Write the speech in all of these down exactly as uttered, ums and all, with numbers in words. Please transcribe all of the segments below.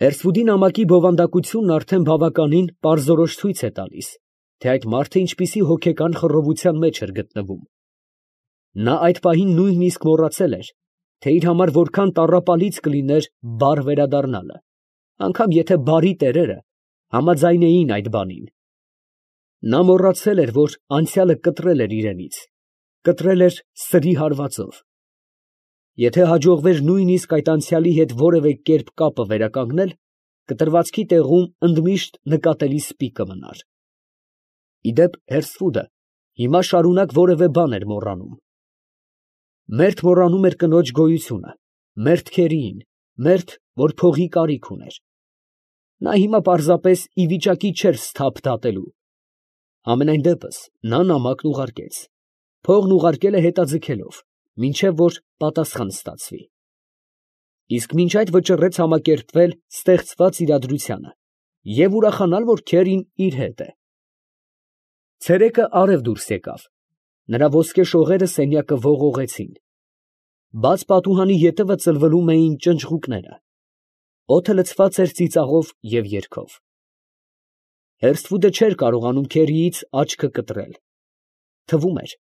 Հերսվուդի նամակի բովանդակությունն արդեն բավականին պարզորոշ ցույց է տալիս, թե այդ մարդը ինչպիսի հոգեկան խռովության մեջ էր գտնվում. նա այդ պահին նույնիսկ մոռացել էր, թե իր համար որքան տառապալից կլիներ բարը վերադառնալը, անգամ եթե բարի տերերը համաձայնեին այդ բանին. նա մոռացել էր, որ անցյալը կտրել էր իրենից, կտրել էր սրի հարվածով. եթե հաջողվեր նույնիսկ այդ անցյալի հետ որևէ կերպ կապը վերականգնել, կտրվածքի տեղում ընդմիշտ նկատելի սպի կմնար։ Ի դեպ, Հերսվուդը հիմա շարունակ որևէ բան էր մոռանում. մերթ մոռանում էր կնոջ գոյությունը, մերթ քերիին, մերթ, որ փողի կարիք ուներ։ Նա հիմա պարզապես ի վիճակի չէր սթափ դատելու։ Համենայն դեպս, նա նամակն ուղարկեց, փողն ուղարկել է հետաձգելով, մինչև որ պատասխան ստացվի։ Իսկ մինչ այդ վճռեց համակերպվել ստեղծված իրադրությանը և ուրախանալ, որ քերին իր հետ է։ Ցերեկը արև դուրս եկավ, նրա ոսկե շողերը սենյակը ողողեցին, բաց պատուհանի ետևը ծլվլում էին ճնճղուկները, օդը լցված էր ծիծաղով և երգով։ Հերսվուդը չէր կարողանում քերիից աչքը կտրել, թվում էր,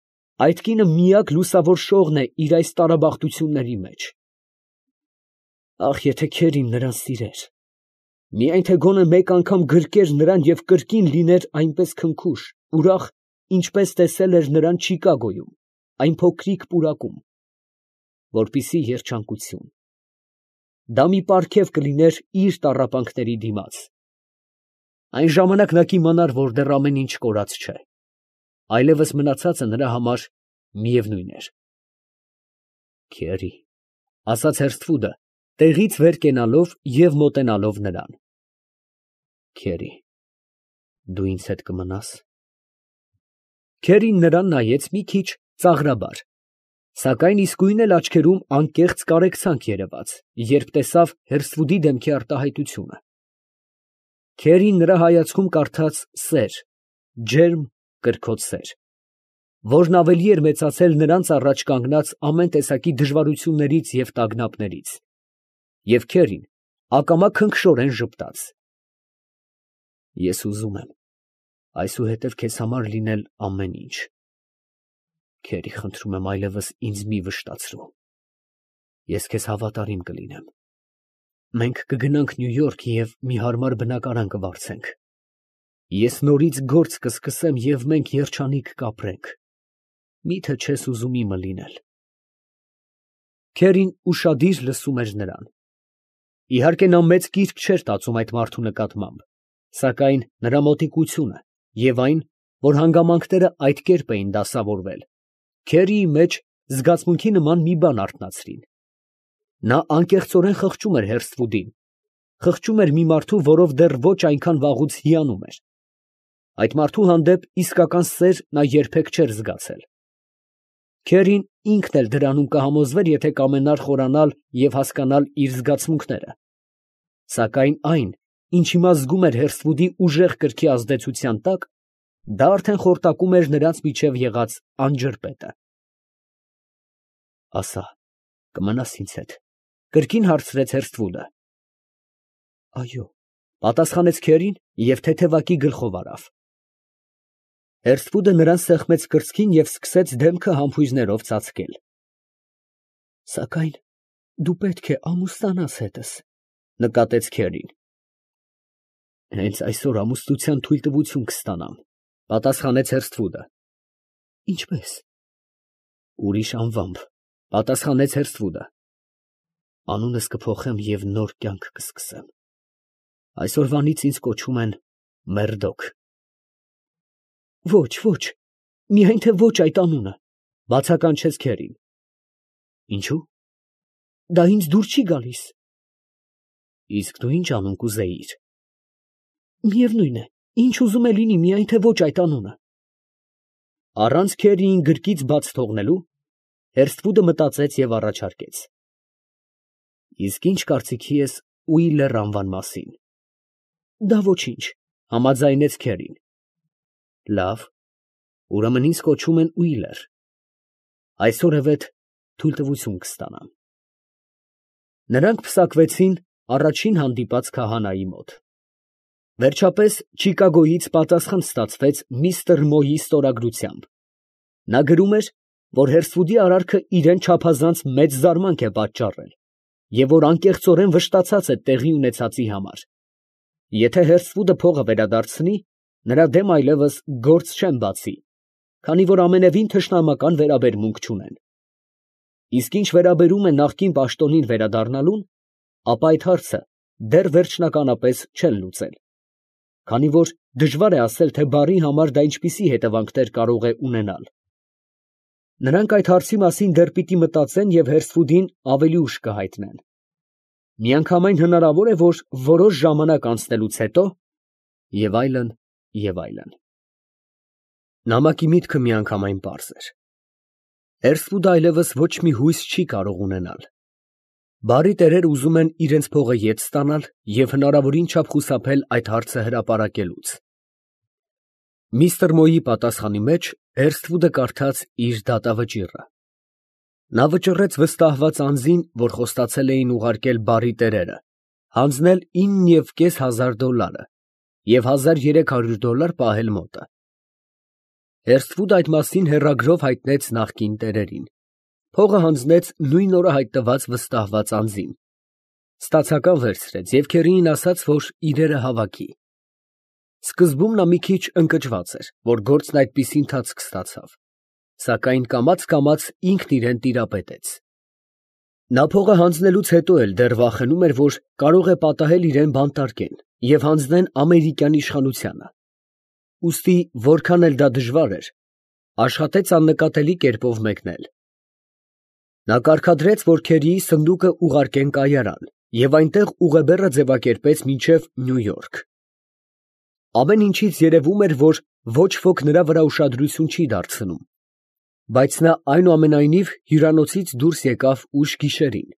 այդ կինը միակ լուսավոր շողն է իր այս տարաբախտությունների մեջ։ Ախ, եթե քերին նրան սիրեր, միայն թե գոնե մեկ անգամ գրկեր նրան և կրկին լիներ այնպես քնքուշ, ուրախ, ինչպես տեսել էր նրան Չիկագոյում, այն փոքրիկ պուրակում, որպիսի երջանկություն… Դա մի պարգև կլիներ իր տառապանքների դիմաց… Այն ժամանակ նա կիմանար, որ դեռ ամեն ինչ կորած չէ, այլևս մնացածը նրա համար միևնույն էր։ Քերի… ֊ ասաց Հերսվուդը, տեղից վեր կենալով և մոտենալով նրան։ Քերի… դու ինձ հետ կմնա՞ս։ Քերին նրան նայեց մի քիչ ծաղրաբար, սակայն իսկույն էլ աչքերում անկեղծ կարեկցանք երևաց, երբ տեսավ Հերսվուդի դեմքի արտահայտությունը։ Քերին նրա հայացքում կարդաց սեր, ջերմ, կրքոտ սեր, որն ավելի էր մեծացել նրանց առաջ կանգնած ամեն տեսակի դժվարություններից և տագնապներից, և քերին ակամա քնքշորեն ժպտաց. Ես ուզում եմ այսուհետև քեզ համար լինել ամեն ինչ… Քերի, խնդրում եմ, այլևս ինձ մի վշտացրու… Ես քեզ հավատարիմ կլինեմ… Մենք կգնանք Նյու Յորք և մի հարմար բնակարան կվարձենք… Ես նորից գործ կսկսեմ և մենք երջանիկ կապրենք… Մի՞թե չես ուզում իմը լինել… Քերին ուշադիր լսում էր նրան… Իհարկե նա մեծ կիրք չէր տածում այդ մարդու նկատմամբ, սակայն նրա մոտիկությունը և այն, որ հանգամանքները այդ կերպ էին դասավորվել, քերիի մեջ զգացմունքի նման մի բան արթնացրին… Նա անկեղծորեն խղճում էր Հերսվուդին, խղճում էր մի մարդու, որով դեռ ոչ այնքան վաղուց հիանում էր… Այդ մարդու հանդեպ իսկական սեր նա երբեք չէր զգացել… Քերին ինքն էլ դրանում կհամոզվեր, եթե կամենար խորանալ և հասկանալ իր զգացմունքները… Սակայն այն, ինչ հիմա զգում էր Հերսվուդի ուժեղ կրքի ազդեցության տակ, դա արդեն խորտակում էր նրանց միջև եղած անջրպետը… ֊ Ասա, կմնա՞ս ինձ հետ, ֊ կրկին հարցրեց Հերսվուդը։ ֊ Այո, ֊ պատասխանեց քերին և թեթևակի գլխով արավ։ Հերսվուդը նրան սեղմեց կրծքին և սկսեց դեմքը համբույրներով ծածկել։ ֊ Սակայն դու պետք է ամուսնանաս հետս, ֊ նկատեց քերին։ ֊ Հենց այսօր ամուսնության թույլտվություն կստանամ, ֊ պատասխանեց Հերսվուդը։ ֊ Ինչպե՞ս։ ֊ Ուրիշ անվամբ, ֊ պատասխանեց Հերսվուդը։ ֊ Անունս կփոխեմ և նոր կյանք կսկսեմ… Այսօրվանից ինձ կոչում են Մերդոք… ֊ Ո՛չ, ո՛չ, միայն թե ոչ այդ անունը, ֊ բացականչեց քերին։ ֊ Ինչո՞ւ։ ֊ Դա ինձ դուր չի գալիս։ ֊ Իսկ դու ի՞նչ անուն կուզեիր։ ֊ Միևնույն է, ինչ ուզում է լինի, միայն թե ոչ այդ անունը… Առանց քերիին գրկից բաց թողնելու, Հերսվուդը մտածեց և առաջարկեց. ֊ Իսկ ի՞նչ կարծիքի ես Ուիլլեր անվան մասին։ ֊ Դա ոչինչ, ֊ համաձայնեց քերին։ ֊ Լավ, ուրեմն ինձ կոչում են Ուիլլեր… Այսօրևեթ թույլտվություն կստանամ… Նրանք պսակվեցին առաջին հանդիպած քահանայի մոտ։ Վերջապես Չիկագոյից պատասխան ստացվեց միստր Մոյի ստորագրությամբ։ Նա գրում էր, որ Հերսվուդի արարքը իրան չափազանց մեծ զարմանք է պատճառել, և որ անկեղծորեն վշտացած է տեղի ունեցածի համար։ Եթե Հերսվուդը փողը վերադարձնի, նրա դեմ այլևս գործ չեն բացի, քանի որ ամենևին թշնամական վերաբերմունք չունեն։ Իսկ ինչ վերաբերում է նախկին պաշտոնին վերադառնալուն, ապա այդ հարցը դեռ վերջնականապես չեն լուծել, քանի որ դժվար է ասել, թե բարի համար դա ինչպիսի հետևանքներ կարող է ունենալ։ Նրանք այդ հարցի մասին դեռ պիտի մտածեն և Հերսվուդին ավելի ուշ կհայտնեն։ Միանգամայն հնարավոր է, որ որոշ ժամանակ անցնելուց հետո… և այլն, և այլն։ Նամակի միտքը միանգամայն պարզ էր. Հերսվուդը այլևս ոչ մի հույս չի կարող ունենալ։ Բարի տերերը ուզում են իրենց փողը ետ ստանալ և հնարավորին չափ խուսափել այդ հարցը հրապարակելուց։ Միստր Մոյի պատասխանի մեջ Հերսթվուդը կարդաց իր դատավճիռը։ Նա վճռեց վստահված անձին, որ խոստացել էին ուղարկել բարի տերերը, հանձնել ինը և կես հազար դոլարը և հազար երեք հարյուր դոլար պահել մոտը։ Հերսթվուդը այդ մասին հեռագրով հայտնեց նախկին տերերին, փողը հանձնեց նույն օրը հայտնված վստահված անձին, ստացական վերցրեց և քերիին ասաց, որ իրերը հավաքի։ Սկզբում նա մի քիչ ընկճված էր, որ գործն այդպիսի ընթացք ստացավ, սակայն կամաց֊կամաց ինքն իրան տիրապետեց։ Նա փողը հանձնելուց հետո էլ դեռ վախենում էր, որ կարող է պատահել իրան բանտարկեն և հանձնեն ամերիկյան իշխանությանը։ Ուստի որքան էլ դա դժվար էր, աշխատեց աննկատելի կերպով մեկնել։ Նա կարգադրեց, որ քերիի սնդուկը ուղարկեն կայարան և այնտեղ ուղեբեռը ձևակերպեց մինչև Նյու Յորք։ Ամեն ինչից երևում էր, որ ոչ ոք նրա վրա ուշադրություն չի դարձնում, բայց նա այնուամենայնիվ հյուրանոցից դուրս եկավ ուշ գիշերին։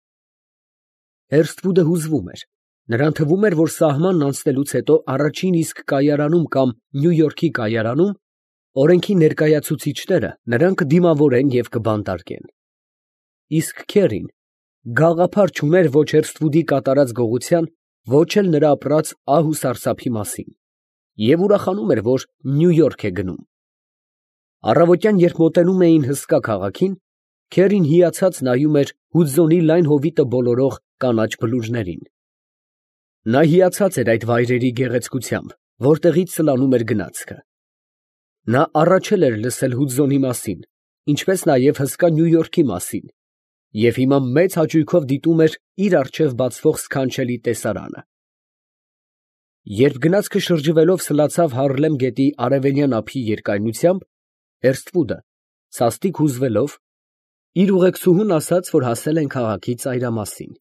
Հերսթվուդը հուզվում էր, նրան թվում էր, որ սահմանն անցնելուց հետո առաջին իսկ կայարանում կամ Նյու Յորքի կայարանում օրենքի ներկայացուցիչները նրան կդիմավորեն և կբանտարկեն։ Իսկ քերին գաղափար չուներ ոչ Հերսթվուդի կատարած գողության, ոչ էլ նրա ապրած ահ ու սարսափի մասին և ուրախանում էր, որ Նյու Յորք է գնում։ Առավոտյան, երբ մոտենում էին հսկա քաղաքին, քերին հիացած նայում էր Հուդզոնի լայն հովիտը բոլորող կանաչ բլուրներին։ Նա հիացած էր այդ վայրերի գեղեցկությամբ, որտեղից սլանում էր գնացքը։ Նա առաջել էր լսել Հուդզոնի մասին, ինչպես նաև հսկա Նյու Յորքի մասին, և հիմա մեծ հաճույքով դիտում էր իր առջև բացվող սքանչելի տեսարանը։ Երբ գնացքը շրջվելով սլացավ Հարլեմ գետի արևելյան ափի երկայնությամբ, Հերսթվուդը, սաստիկ հուզվելով, իր ուղեկցուհուն ասաց, որ հասել են քաղաքի ծայրամասին։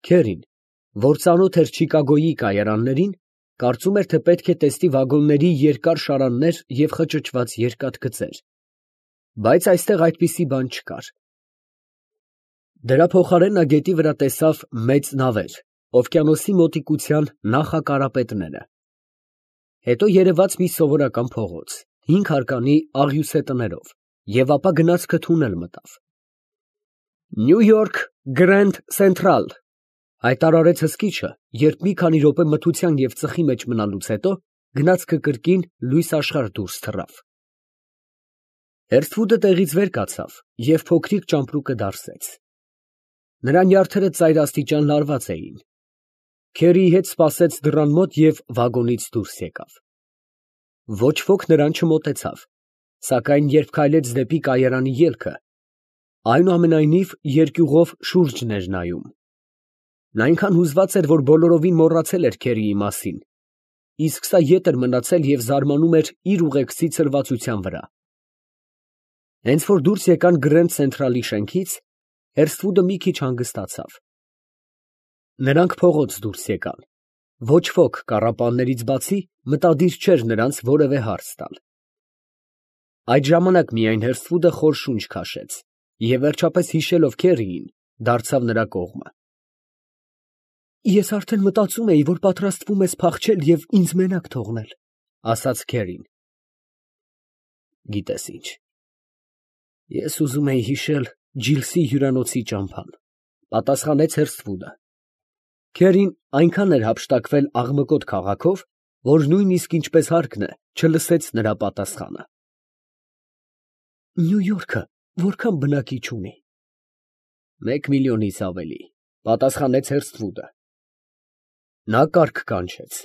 Քերին, որ ծանոթ էր Չիկագոյի կայարաններին, կարծում էր, թե պետք է տեսնի վագոնների երկար շարաններ և խճճված երկաթգծեր, բայց այստեղ այդպիսի բան չկար։ Դրա փոխարեն նա գետի վրա տեսավ մեծ նավեր, օվկիանոսի մոտիկության նախակարապետները։ Հետո երևաց մի սովորական փողոց, հինգ հարկանի աղյուսե տներով, և ապա գնացքը թունել մտավ։ «Նյու Յորք Գրենդ Սենթրալ», հայտարարեց հսկիչը, երբ մի քանի րոպե մթության և ծխի մեջ մնալուց հետո գնացքը կրկին լույս աշխարհ դուրս թռավ։ Հերսթվուդը տեղից վեր կացավ և փոքրիկ ճամպրուկը դարսեց։ Նրա նյարդերը ծայրաստիճան լարված էին։ Քերիի հետ սպասեց դռան մոտ և վագոնից դուրս եկավ։ Ոչ ոք նրան չմոտեցավ, սակայն երբ քայլեց դեպի կայարանի ելքը, այնուամենայնիվ երկյուղով շուրջն էր նայում։ Նա այնքան հուզված էր, որ բոլորովին մոռացել էր քերիի մասին, իսկ սա ետ էր մնացել և զարմանում էր իր ուղեկցի ցրվածության վրա։ Հենց որ դուրս եկան Գրենդ Սենթրալի շենքից, Հերսթվուդը մի քիչ հանգստացավ։ Նրանք փողոց դուրս եկան։ Ոչ ոք, կառապաններից բացի, մտադիր չէր նրանց որևէ հարց տալ։ Այդ ժամանակ միայն Հերսթվուդը խոր շունչ քաշեց և վերջապես հիշելով քերիին, դարձավ նրա կողմը։ «Ես արդեն մտածում էի, որ պատրաստվում ես փախչել և ինձ մենակ թողնել», ֊ ասաց քերին։ «Գիտես ինչ, ես ուզում էի հիշել Ջիլսի հյուրանոցի ճամփան», ֊ պատասխանեց Հերսթվուդը։ Քերին այնքան էր հափշտակվել աղմկոտ քաղաքով, որ նույնիսկ ինչպես հարկն է, չլսեց նրա պատասխանը։ Նյու Յորքը որքան բնակիչ ունի։ Մեկ միլիոնից ավելի, պատասխանեց Հերսթվուդը։ Նա կառք կանչեց,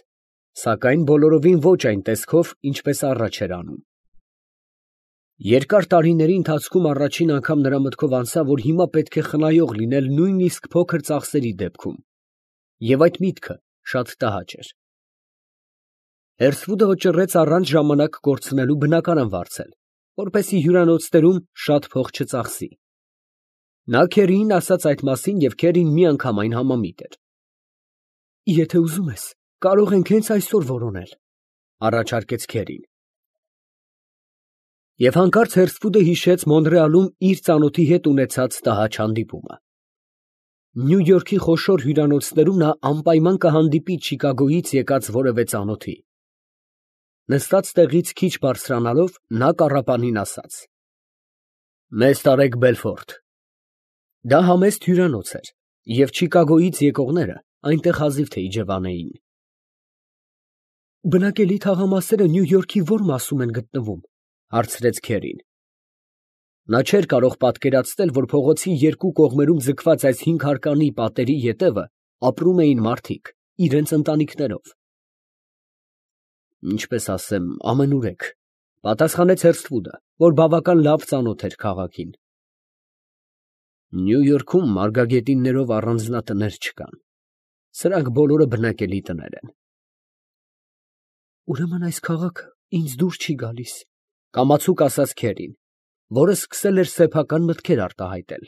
սակայն բոլորովին ոչ այն տեսքով, ինչպես առաջ էր անում։ Երկար տարիների ընթացքում առաջին անգամ նրա մտքով անցավ, որ հիմա պետք է խնայող լինել նույնիսկ փոքր ծախսերի դեպքում, և այդ միտքը շատ տհաճ էր։ Հերսթվուդը վճռեց առանց ժամանակ կորցնելու բնակարան վարձել, որպեսզի հյուրանոցներում շատ փող չծախսի։ Նա Քերիին ասաց այդ մասին, և Քերին միանգամայն համամիտ էր։ Եթե ուզում ես, կարող ենք հենց այսօր որոնել, առաջարկեց Քերին։ Եվ հանկարծ Հերսթվուդը հիշեց Մոնրեալում իր ծանոթի հետ ունեցած տհաճ հանդիպումը։ Նյու Յորքի խոշոր հյուրանոցներում նա անպայման կհանդիպի Չիկագոյից եկած որևէ ծանոթի։ Նստած տեղից քիչ բարձրանալով, նա կառապանին ասաց. Մեզ տարեք Բելֆորդ։ Դա համեստ հյուրանոց էր, և Չիկագոյից եկողները այնտեղ հազիվ թե իջևանեին։ Բնակելի թաղամասերը Նյու Յորքի ո՞ր մասում են գտնվում, հարցրեց Քերին։ Նա չէր կարող պատկերացնել, որ փողոցի երկու կողմերում ձգված այս հինգհարկանի պատերի ետևը ապրում էին մարդիկ իրենց ընտանիքներով։ Ինչպես ասեմ, ամենուրեք, պատասխանեց Հերսթվուդը, որ բավական լավ ծանոթ էր քաղաքին։ Նյու Յորքում մարգագետիններով առանձնատներ չկան, սրանք բոլորը բնակելի տներ են։ Ուրեմն այս քաղաքը ինձ դուր չի գալիս, կամացուկ ասաց Քերին, որը սկսել էր սեփական մտքեր արտահայտել։